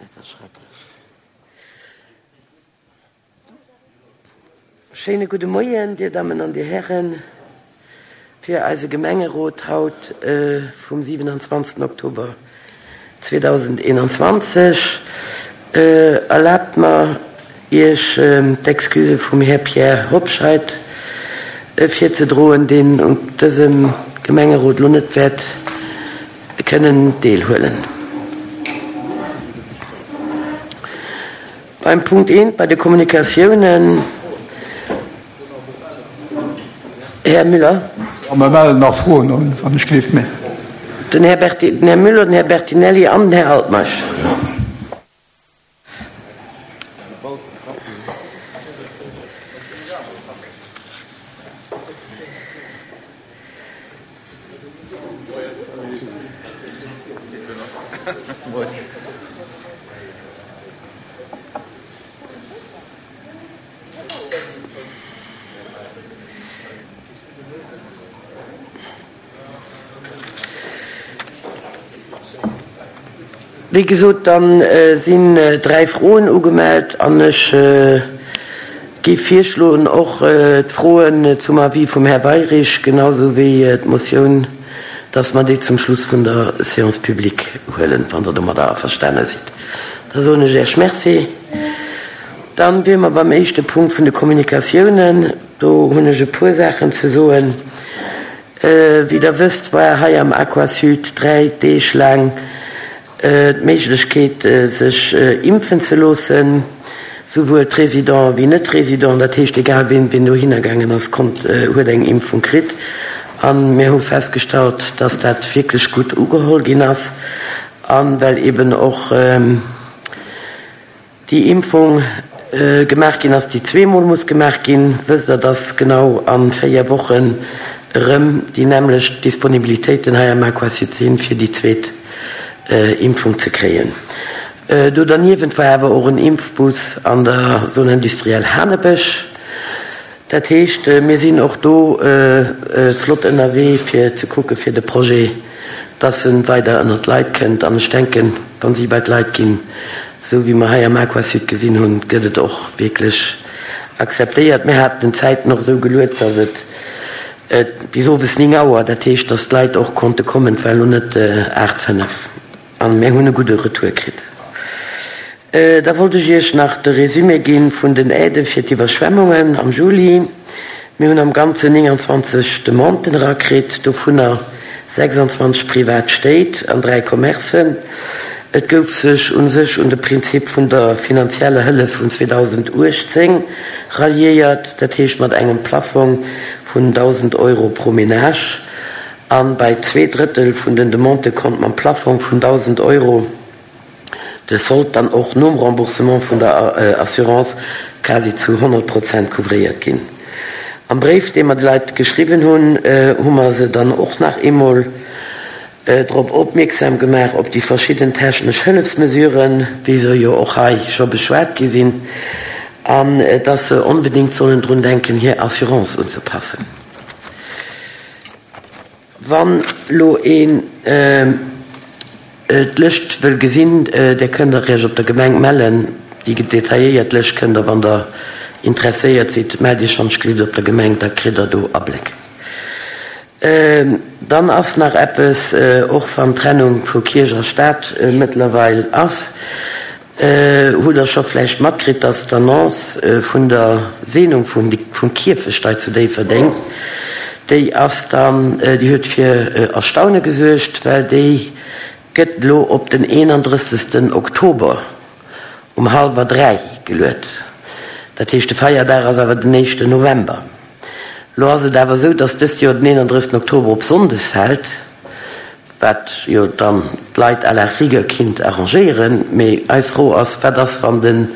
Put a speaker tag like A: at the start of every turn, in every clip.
A: Dat ass schrecklech. Schéine gudde Moien, Dir Dammen an Dir Hären, fir eise Gemengerot haut vum 27. Oktober 2021. Erlaabt mer, Iech d'Excusë vum Här Pierre Hobscheit virzedroen, deen un dësem Gemengerot elo net wäert kënnen deelhuelen. Beim Punkt eent, bei de Kommunikatiounen, Här Müller.
B: Jo, mer mellen nach Froen un, wann ech gleeft. Mä.
A: Den Här Berti, den Här Müller, den Här Bertinelli an den Här Altmeisch. Wéi gesot, da sinn 3 Froen ugemellt an ech géif virschloen, och d'Froen zum Avis vum Här Weirich, genau sou wéi d'Motioun, dass mer déi zum Schluss vun der Séance publique huelen, wann Der domadder averstane sidd. Da soen ech Iech Merci. Dann wiere mer beim éischte Punkt vun de Kommunikatiounen. Do hunn ech e puer Saachen ze soen. Wéi Der wësst, war hei am Aquasud 3 Deeg laang d'Méiglechkeet, sech impfen ze loossen, souwuel d'Résidenten wéi Net-Résidenten. Dat heescht, egal ween, ween dohinner gaangen ass, konnt, huet eng Impfung kritt. A mir hu festgestallt, dass dat wierklech gutt ugeholl ginn ass. A well eben och déi Impfung gemaach ginn ass, déi zweemol muss gemaach ginn, wësst Der, dass genau a 4 Wochen erëm déi nämmlecht Disponibilitéiten hei am Aquasud sinn, fir déi zweet Impfung ze kréien. Do derniewent war awer och en Impfbus an der Zone industrielle Hanebësch. Dat heescht, mir sinn och do flott ënnerwee fir ze kucke fir de Projet, dass e weider ënnert d'Leit kënnt. An ech denken, wa si bei d'Leit ginn, esou wéi mer hei am Aquasud gesinn hunn, gëtt et och wierklech akzeptéiert. Mir haten den Zäiten och esou geluet, dass et bis owes 9 Auer, dat heescht, dass d'Leit och konnte kommen, et war elo net 8, 5. An mir hunn e gudde Retour kritt. Da wollt ech Iech nach de Résumé gi vun den Aidë fir d'Iwwerschwemmungen am Juli. Mir hunn am Ganzen 29 Demanden erakritt, dovunner 26 privat Stéit an 3 Commercen. Et gouf sech u sech un de Prinzip vun der finanzieller Hëllef vun 2018 ralliéiert, dat heescht mat engem Plaffong vun 1.000 Euro pro Menage. A bei 2 Drëttel vun den Demandë konnt mam Plaffong vun 1.000 Euro de Solde dann och nom Remboursement vun der Assurance quasi zu 100 Prozent couvréiert ginn. Am Bréif, dee mer de Leit geschriwwen hunn, hu mer se dann och nach eemol drop opmierksam gemaach op déi verschidden technesch Hëllefsmesuren, wéi se jo och hei scho beschwat gi sinn, an dass se onbedéngt sollen drun denken, hir Assurance unzepassen. Wann lo een d'Lëscht wëll gesinn, där kënnt der Iech op der Gemeng mellen. Déi detailléiert Lëscht kënnt der, wann der interesséiert sidd, mellt Iech wann ech gelift op der Gemeng, da kritt der do Abléck. Dann ass nach eppes, och wann d'Trennung vu Kierch a Staat mëttlerweil ass, Hutt der scho vläicht matkritt, dass d'Annonce vun der Seenung vum Kierfecht hei zu Déifferdeng, déi ass dann, déi huet fir Erstaune gesuergt, well déi gëtt elo op den 31. Oktober um hallwer 3 geluet. Dat heescht, de Feierdag ass awer den éischten November. Elo ass et awer esou, dass dëst Joer den 31. Oktober op Sonndes fält. Wat jo dann d'Leit à la rigueur kinnt arrangéieren. Mee eis Fro ass, Wat ass, wann den,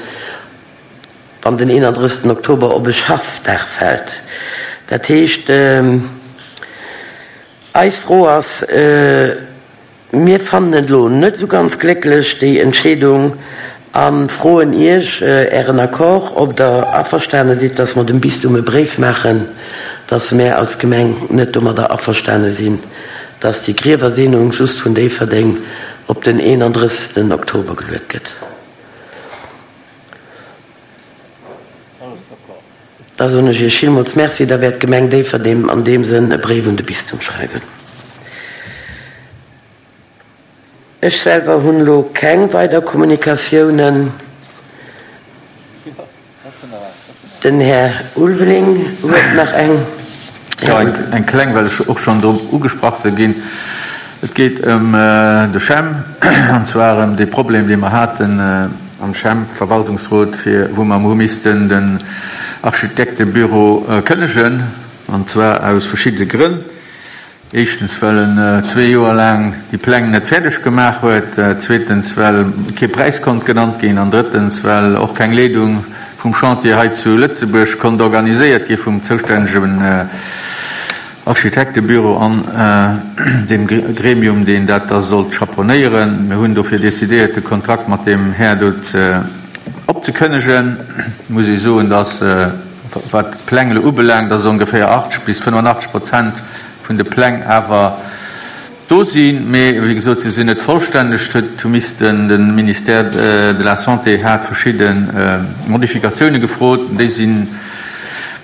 A: wann den 31. Oktober op e Schaffdag fält? Dat heescht, eis Fro ass, Mir fannen et elo net esou ganz glécklech, déi Entscheedung, a froen Iech Ären Accord, ob Der averstane sidd, dass mer dem Bistum e Bréif maachen, dass mär als Gemeng net domadder averstane sinn, dass déi Griewerseenung just vun Déifferdeng op den 31. Oktober geluet gëtt. Da soen ech Iech villmools Merci. Da wäert d'Gemeng Déifferdeng an deem Sënn e Bréif un de Bistum schreiwen. Ech selwer hunn elo keng weider Kommunikatiounen. Den Här Ulveling huet nach eng.
C: Jo, eng kleng, well ech och schonn drop ugesprach si ginn. Et geet ëm de CHEM, an zwar ëm dee Problem, dee mer haten am CHEM-Verwaltungsrot, fir wou mer hu missten den Architektebüro kënnegen, an zwar aus verschiddene Grënn. Éischtens, well en zwee Joer laang déi Pläng net fäerdeg gemaach huet, zweetens, well kee Präis konnt genannt ginn an drëttens, well och keng Leedung vum Chantier hei zu Lëtzebuerg konnt organiséiert gi vum zoustännegen Architektebüro an dem Gremium, deen dat da sollt chaperonnéieren. Mir hunn dofir decidéiert, de Kontrakt mat deem Här do opzekënnegen. Et muss ee soen, dass, wat d'Pläng elo ubelaangt, dass ongeféier 80 bis 85 Prozent vun de Pläng awer do sinn, mee wéi gesot, se sinn net vollstänneg. Et huet hu missten, de Ministère de la Santé hat verschidde Modifikatioune gefrot, déi sinn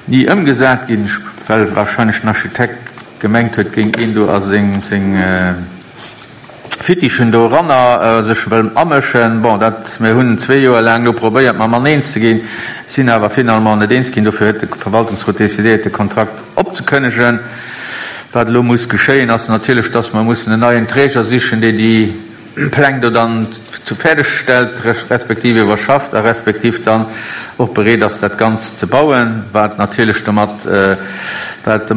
C: ni ëmgesat ginn, well wahrscheinlech den Architekt gemengt huet, géing een do a seng Fittichen do eranner sech wëll amëschen. Bon, dat, mir hunn zwee Joer laang do probéiert, mam Mann eens ze ginn, sinn awer finalement net eens ginn. Dofir huet de Verwaltungsrot decidéiert, de Kontrakt opzekënnegen. Wat elo muss geschéien, ass natierlech, dass mer mussen en neien Träger sichen, deen déi Pläng do dann fäerdeg stellt, respektiv iwwerschafft a respektiv dann och bereet ass, dat Ganzt ze bauen, wat natierlech domat, wat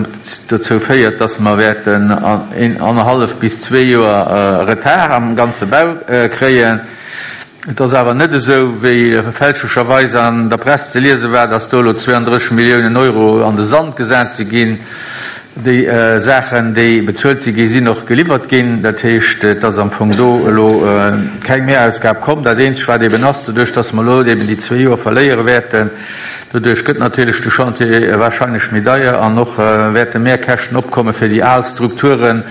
C: dozou féiert, dass mer wäerten een annerhallef bis zwee Joer Retard am ganze Bau kréien. Et ass awer net esou, wéi fälschlecherweis an der Press ze liese war, dass do elo 32 Milliounen Euro an de Sand gesat si ginn. Déi Saachen, déi bezuelt si gi, sinn och geliwwert ginn. Dat heescht, et ass am Fong do elo keng Mehrausgab komm. Dat Eenzegt, wat eben ass, doduerch dass mer elo eben déi zwee Joer verléiere wäerten, doduerch gëtt natierlech de Chantier wahrscheinlech méi deier an och wäerte Mehrkäschten opkomme fir déi al Strukturen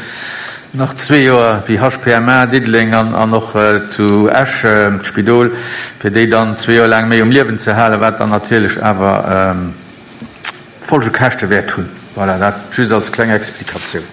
C: nach zwee Joer, wéi HPMA Diddeleng an och zu Esch d'Spidol, fir déi dann zwee Joer laang méi um Liewen ze halen, wat dann natierlech awer Folgekäschte wäert hunn. Voilà, dat just als kleng Explikatioun.